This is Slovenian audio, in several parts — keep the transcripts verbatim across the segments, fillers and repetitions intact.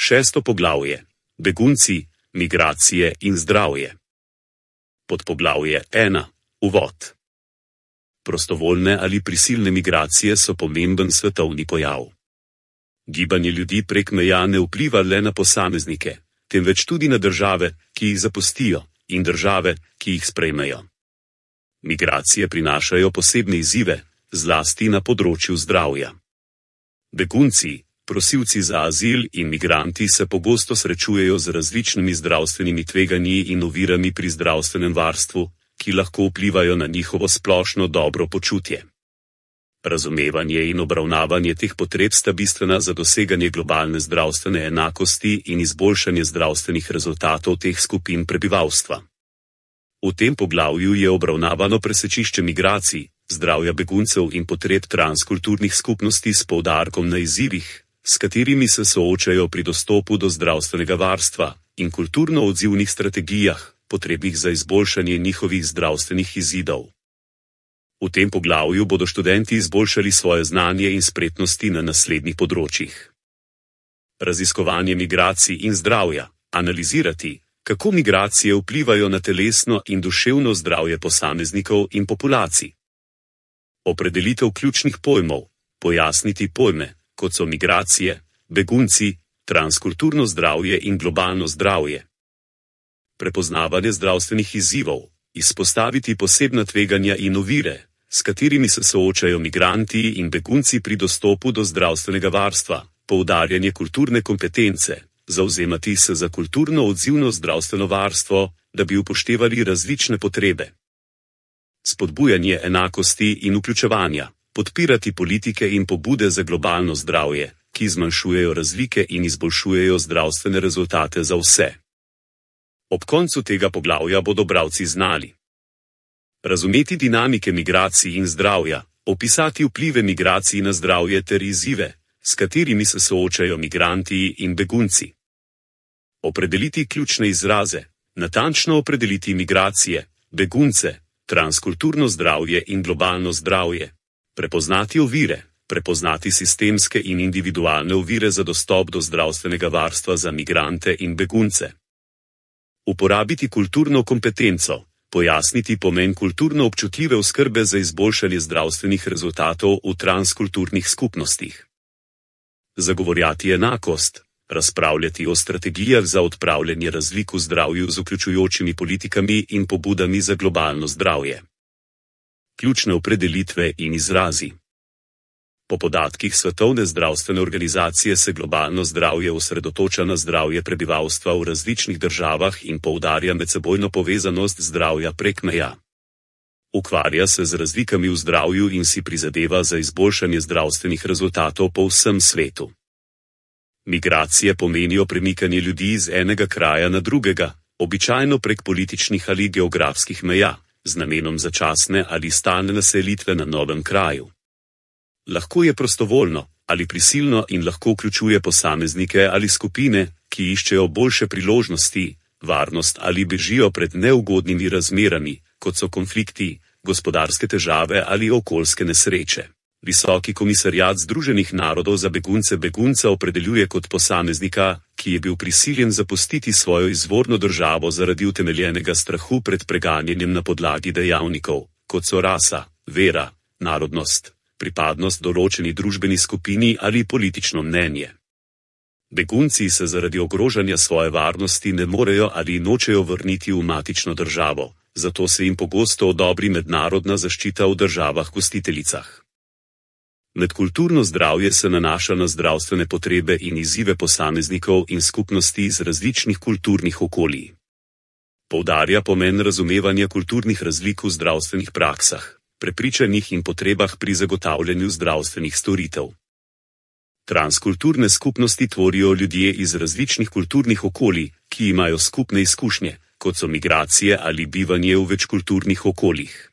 Šesto poglavje. Begunci, migracije in zdravje. Podpoglavje ena. Uvod. Prostovoljne ali prisilne migracije so pomemben svetovni pojav. Gibanje ljudi prek meja ne vpliva le na posameznike, temveč tudi na države, ki jih zapustijo, in države, ki jih sprejmejo. Migracije prinašajo posebne izzive, zlasti na področju zdravja. Begunci, prosilci za azil in migranti se pogosto srečujejo z različnimi zdravstvenimi tveganji in ovirami pri zdravstvenem varstvu, ki lahko vplivajo na njihovo splošno dobro počutje. Razumevanje in obravnavanje teh potreb sta bistvena za doseganje globalne zdravstvene enakosti in izboljšanje zdravstvenih rezultatov teh skupin prebivalstva. V tem poglavju je obravnavano presečišče migracij, zdravja beguncev in potreb transkulturnih skupnosti s poudarkom na izzivih, s katerimi se soočajo pri dostopu do zdravstvenega varstva, in kulturno odzivnih strategijah, potrebnih za izboljšanje njihovih zdravstvenih izidov. V tem poglavju bodo študenti izboljšali svoje znanje in spretnosti na naslednjih področjih. Raziskovanje migracij in zdravja, analizirati, kako migracije vplivajo na telesno in duševno zdravje posameznikov in populacij. Opredelitev ključnih pojmov, pojasniti pojme, kot so migracije, begunci, transkulturno zdravje in globalno zdravje. Prepoznavanje zdravstvenih izzivov, izpostaviti posebna tveganja in ovire, s katerimi se soočajo migranti in begunci pri dostopu do zdravstvenega varstva, poudarjanje kulturne kompetence, zavzemati se za kulturno odzivno zdravstveno varstvo, da bi upoštevali različne potrebe. Spodbujanje enakosti in vključevanja, podpirati politike in pobude za globalno zdravje, ki zmanjšujejo razlike in izboljšujejo zdravstvene rezultate za vse. Ob koncu tega poglavja bodo bralci znali razumeti dinamike migracij in zdravja, opisati vplive migracij na zdravje ter izzive, s katerimi se soočajo migranti in begunci. Opredeliti ključne izraze, natančno opredeliti migracije, begunce, transkulturno zdravje in globalno zdravje. Prepoznati ovire, prepoznati sistemske in individualne ovire za dostop do zdravstvenega varstva za migrante in begunce. Uporabiti kulturno kompetenco, pojasniti pomen kulturno občutljive oskrbe za izboljšanje zdravstvenih rezultatov v transkulturnih skupnostih. Zagovorjati enakost, razpravljati o strategijah za odpravljanje razlik v zdravju z vključujočimi politikami in pobudami za globalno zdravje. Ključne opredelitve in izrazi. Po podatkih Svetovne zdravstvene organizacije se globalno zdravje osredotoča na zdravje prebivalstva v različnih državah in poudarja medsebojno povezanost zdravja prek meja. Ukvarja se z razlikami v zdravju in si prizadeva za izboljšanje zdravstvenih rezultatov po vsem svetu. Migracije pomenijo premikanje ljudi iz enega kraja na drugega, običajno prek političnih ali geografskih meja, z namenom začasne ali stalne naselitve na novem kraju. Lahko je prostovoljno ali prisilno in lahko vključuje posameznike ali skupine, ki iščejo boljše priložnosti, varnost ali bežijo pred neugodnimi razmerami, kot so konflikti, gospodarske težave ali okoljske nesreče. Visoki komisarjat Združenih narodov za begunce begunca opredeljuje kot posameznika, ki je bil prisiljen zapustiti svojo izvorno državo zaradi utemeljenega strahu pred preganjanjem na podlagi dejavnikov, kot so rasa, vera, narodnost, pripadnost določeni družbeni skupini ali politično mnenje. Begunci se zaradi ogrožanja svoje varnosti ne morejo ali nočejo vrniti v matično državo, zato se jim pogosto odobri mednarodna zaščita v državah gostiteljicah. Medkulturno zdravje se nanaša na zdravstvene potrebe in izzive posameznikov in skupnosti iz različnih kulturnih okolij. Poudarja pomen razumevanja kulturnih razlik v zdravstvenih praksah, prepričanjih in potrebah pri zagotavljanju zdravstvenih storitev. Transkulturne skupnosti tvorijo ljudje iz različnih kulturnih okolij, ki imajo skupne izkušnje, kot so migracije ali bivanje v večkulturnih okoljih.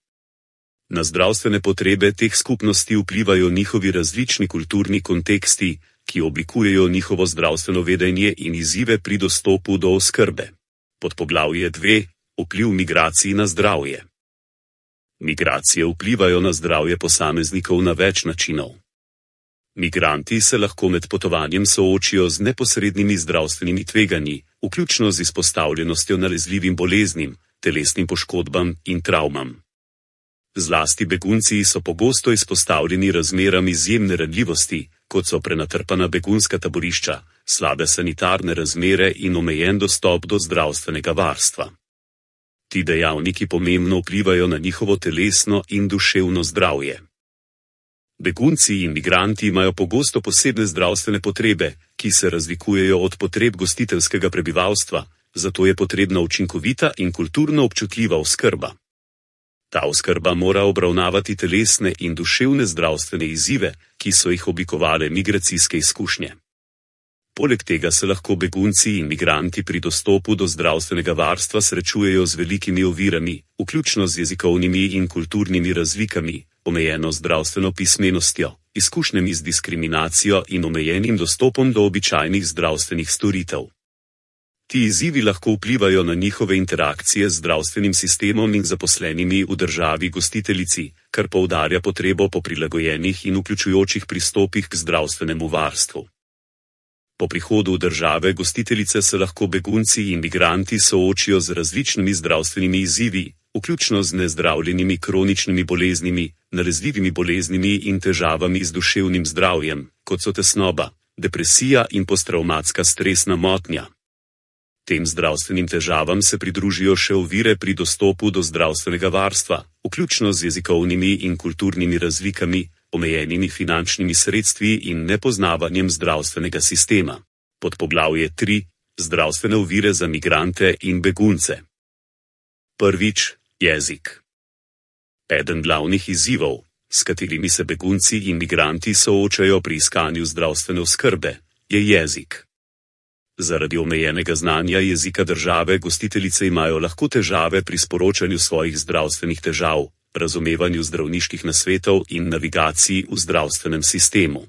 Na zdravstvene potrebe teh skupnosti vplivajo njihovi različni kulturni konteksti, ki oblikujejo njihovo zdravstveno vedenje in izzive pri dostopu do oskrbe. Podpoglavje dve. Vpliv migracij na zdravje. Migracije vplivajo na zdravje posameznikov na več načinov. Migranti se lahko med potovanjem soočijo z neposrednimi zdravstvenimi tveganji, vključno z izpostavljenostjo nalezljivim boleznim, telesnim poškodbam in travmam. Zlasti begunci so pogosto izpostavljeni razmeram izjemne ranljivosti, kot so prenatrpana begunska taborišča, slabe sanitarne razmere in omejen dostop do zdravstvenega varstva. Ti dejavniki pomembno vplivajo na njihovo telesno in duševno zdravje. Begunci in migranti imajo pogosto posebne zdravstvene potrebe, ki se razlikujejo od potreb gostiteljskega prebivalstva, zato je potrebna učinkovita in kulturno občutljiva oskrba. Ta oskrba mora obravnavati telesne in duševne zdravstvene izzive, ki so jih oblikovale migracijske izkušnje. Poleg tega se lahko begunci in migranti pri dostopu do zdravstvenega varstva srečujejo z velikimi ovirami, vključno z jezikovnimi in kulturnimi razlikami, omejeno zdravstveno pismenostjo, izkušnjami z diskriminacijo in omejenim dostopom do običajnih zdravstvenih storitev. Ti izzivi lahko vplivajo na njihove interakcije z zdravstvenim sistemom in zaposlenimi v državi gostiteljici, kar poudarja potrebo po prilagojenih in vključujočih pristopih k zdravstvenemu varstvu. Po prihodu v države gostiteljice se lahko begunci in migranti soočijo z različnimi zdravstvenimi izzivi, vključno z nezdravljenimi kroničnimi boleznimi, nalezljivimi boleznimi in težavami z duševnim zdravjem, kot so tesnoba, depresija in posttravmatska stresna motnja. Tem zdravstvenim težavam se pridružijo še ovire pri dostopu do zdravstvenega varstva, vključno z jezikovnimi in kulturnimi razlikami, omejenimi finančnimi sredstvi in nepoznavanjem zdravstvenega sistema. Podpoglavje tri. Zdravstvene ovire za migrante in begunce. Prvič, jezik. Eden glavnih izzivov, s katerimi se begunci in migranti soočajo pri iskanju zdravstvene oskrbe, je jezik. Zaradi omejenega znanja jezika države gostiteljice imajo lahko težave pri sporočanju svojih zdravstvenih težav, razumevanju zdravniških nasvetov in navigaciji v zdravstvenem sistemu.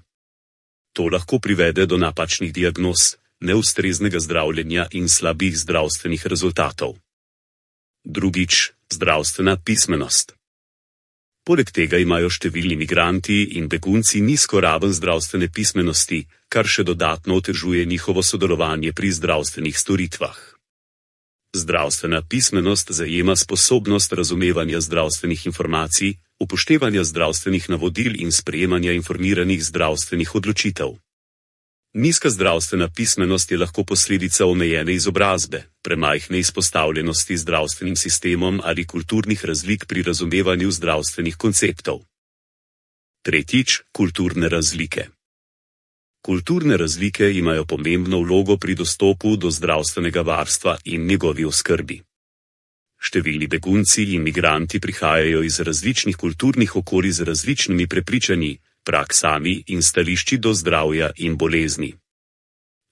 To lahko privede do napačnih diagnoz, neustreznega zdravljenja in slabih zdravstvenih rezultatov. Drugič, zdravstvena pismenost. Poleg tega imajo številni migranti in begunci nizko raven zdravstvene pismenosti, kar še dodatno otežuje njihovo sodelovanje pri zdravstvenih storitvah. Zdravstvena pismenost zajema sposobnost razumevanja zdravstvenih informacij, upoštevanja zdravstvenih navodil in sprejemanja informiranih zdravstvenih odločitev. Nizka zdravstvena pismenost je lahko posledica omejene izobrazbe, premajhne izpostavljenosti zdravstvenim sistemom ali kulturnih razlik pri razumevanju zdravstvenih konceptov. Tretjič, kulturne razlike. Kulturne razlike imajo pomembno vlogo pri dostopu do zdravstvenega varstva in njegovi oskrbi. Številni begunci in migranti prihajajo iz različnih kulturnih okolij z različnimi prepričanji, praksami in stališči do zdravja in bolezni.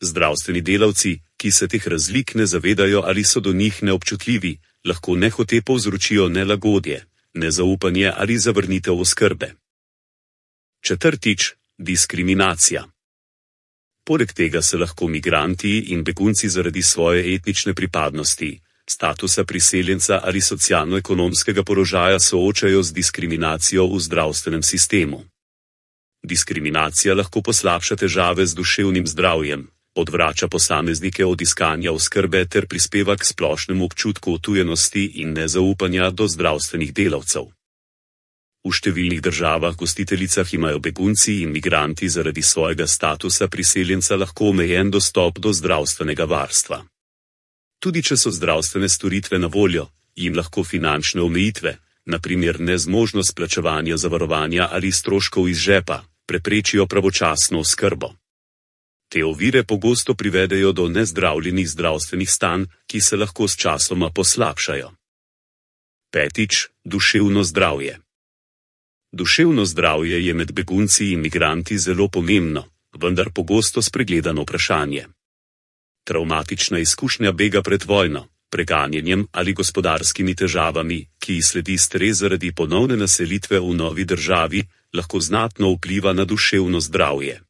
Zdravstveni delavci, ki se teh razlik ne zavedajo ali so do njih neobčutljivi, lahko nehote povzročijo nelagodje, nezaupanje ali zavrnitev oskrbe. Četrtič, diskriminacija. Poleg tega se lahko migranti in begunci zaradi svoje etnične pripadnosti, statusa priseljenca ali socialno-ekonomskega položaja soočajo z diskriminacijo v zdravstvenem sistemu. Diskriminacija lahko poslabša težave z duševnim zdravjem, odvrača posameznike od iskanja oskrbe ter prispeva k splošnemu občutku otujenosti in nezaupanja do zdravstvenih delavcev. V številnih državah gostiteljicah imajo begunci in migranti zaradi svojega statusa priseljenca lahko omejen dostop do zdravstvenega varstva. Tudi če so zdravstvene storitve na voljo, jim lahko finančne omejitve, na primer nezmožnost plačevanja zavarovanja ali stroškov iz žepa, preprečijo pravočasno oskrbo. Te ovire pogosto privedejo do nezdravljenih zdravstvenih stanj, ki se lahko s časoma poslabšajo. Petič, duševno zdravje. Duševno zdravje je med begunci in migranti zelo pomembno, vendar pogosto spregledano vprašanje. Travmatična izkušnja bega pred vojno, preganjanjem ali gospodarskimi težavami, ki ji sledi stres zaradi ponovne naselitve v novi državi, lahko znatno vpliva na duševno zdravje.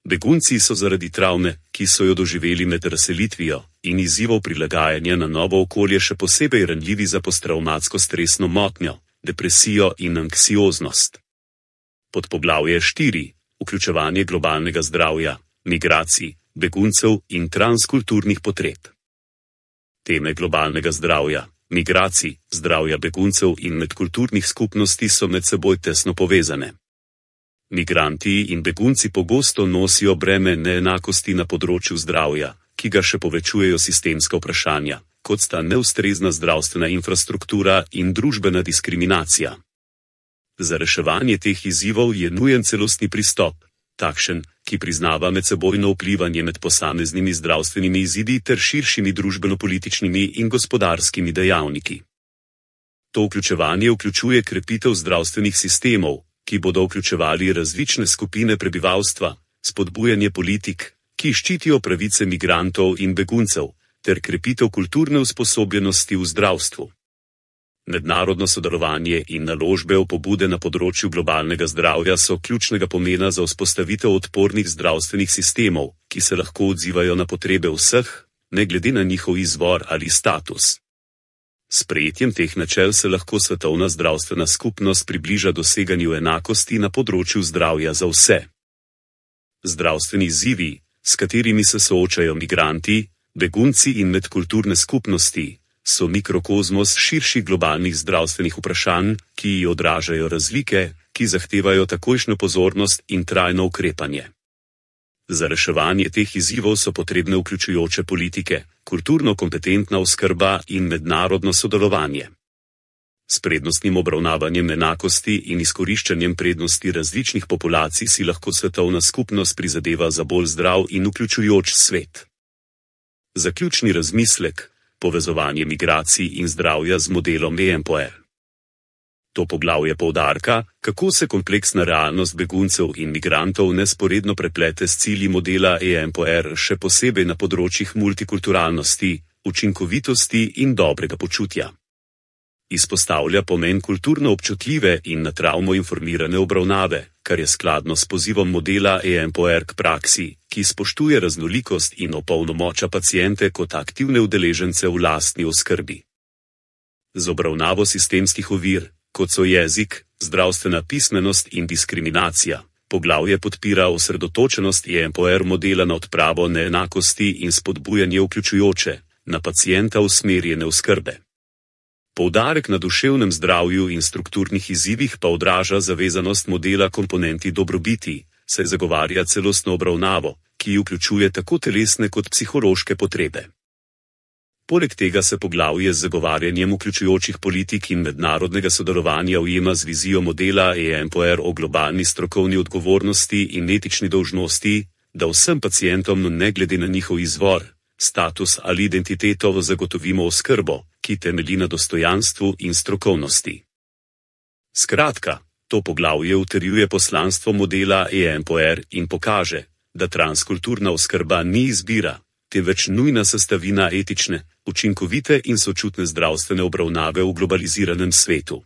Begunci so zaradi travme, ki so jo doživeli med razselitvijo, in izzivov prilagajanja na novo okolje še posebej ranljivi za posttravmatsko stresno motnjo, depresijo in anksioznost. Podpoglavje štiri. vključevanje globalnega zdravja, migracij, beguncev in transkulturnih potreb. Teme globalnega zdravja, migracij, zdravja beguncev in medkulturnih skupnosti so med seboj tesno povezane. Migranti in begunci pogosto nosijo breme neenakosti na področju zdravja, ki ga še povečujejo sistemska vprašanja, kot sta neustrezna zdravstvena infrastruktura in družbena diskriminacija. Za reševanje teh izzivov je nujen celostni pristop, takšen, ki priznava medsebojno vplivanje med posameznimi zdravstvenimi izidi ter širšimi družbeno-političnimi in gospodarskimi dejavniki. To vključevanje vključuje krepitev zdravstvenih sistemov, ki bodo vključevali različne skupine prebivalstva, spodbujanje politik, ki ščitijo pravice migrantov in beguncev, ter krepitev kulturne usposobljenosti v zdravstvu. Mednarodno sodelovanje in naložbe v pobude na področju globalnega zdravja so ključnega pomena za vzpostavitev odpornih zdravstvenih sistemov, ki se lahko odzivajo na potrebe vseh, ne glede na njihov izvor ali status. S sprejetjem teh načel se lahko svetovna zdravstvena skupnost približa doseganju enakosti na področju zdravja za vse. Zdravstveni izzivi, s katerimi se soočajo migranti, begunci in medkulturne skupnosti, so mikrokozmos širših globalnih zdravstvenih vprašanj, ki odražajo razlike, ki zahtevajo takojšnjo pozornost in trajno ukrepanje. Za reševanje teh izzivov so potrebne vključujoče politike, kulturno kompetentna oskrba in mednarodno sodelovanje. S prednostnim obravnavanjem enakosti in izkoriščanjem prednosti različnih populacij si lahko svetovna skupnost prizadeva za bolj zdrav in vključujoč svet. Zaključni razmislek: povezovanje migracij in zdravja z modelom E M P O R. To poglavje poudarka, kako se kompleksna realnost beguncev in migrantov nesporedno preplete s cilji modela E M P O R, še posebej na področjih multikulturalnosti, učinkovitosti in dobrega počutja. Izpostavlja pomen kulturno občutljive in na travmo informirane obravnave, kar je skladno s pozivom modela E M P O R k praksi, ki spoštuje raznolikost in opolnomoča paciente kot aktivne udeležence v lastni oskrbi. Z obravnavo sistemskih ovir, kot so jezik, zdravstvena pismenost in diskriminacija, poglavje podpira osredotočenost E M P O R modela na odpravo neenakosti in spodbujanje vključujoče, na pacienta usmerjene oskrbe. Poudarek na duševnem zdravju in strukturnih izzivih pa odraža zavezanost modela komponenti dobrobiti, saj zagovarja celostno obravnavo, ki vključuje tako telesne kot psihološke potrebe. Poleg tega se poglavje z zagovarjanjem vključujočih politik in mednarodnega sodelovanja ujema z vizijo modela E M P O R o globalni strokovni odgovornosti in etični dolžnosti, da vsem pacientom ne glede na njihov izvor, status ali identiteto zagotovimo oskrbo, ki temelji na dostojanstvu in strokovnosti. Skratka, to poglavje utrjuje poslanstvo modela E M P O R in pokaže, da transkulturna oskrba ni izbira, temveč nujna sestavina etične, učinkovite in sočutne zdravstvene obravnave v globaliziranem svetu.